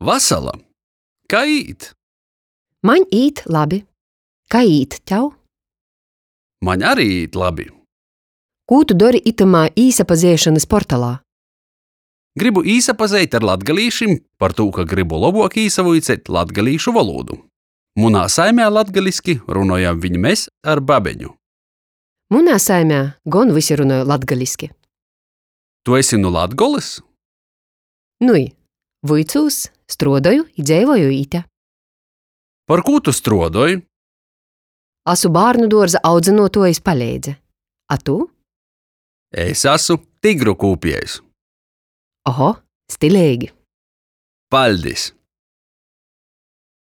Vasala! Kai īt? Maņ īt labi. Kai īt tev? Maņ ari īt labi. Kū tu dori itymā īsapazeišonys portalā? Grybu īsapazeit ar latgalīšim, partū ka grybu lobuok īsavuiceit latgalīšu volūdu. Munā saimē latgaliski runojam viņ mes ar babeņu. Munā saimē gon vysi runoj latgaliski. Tu esi nu Latgolys? Nui, vuicūs, struodoju i dzeivoju ite. Par kū tu struodoj? Asu bārnuduorza audzynuotuojis paleidze. A tu? Es asu tigru kūpiejs. Oho, stileigi! Paļdis!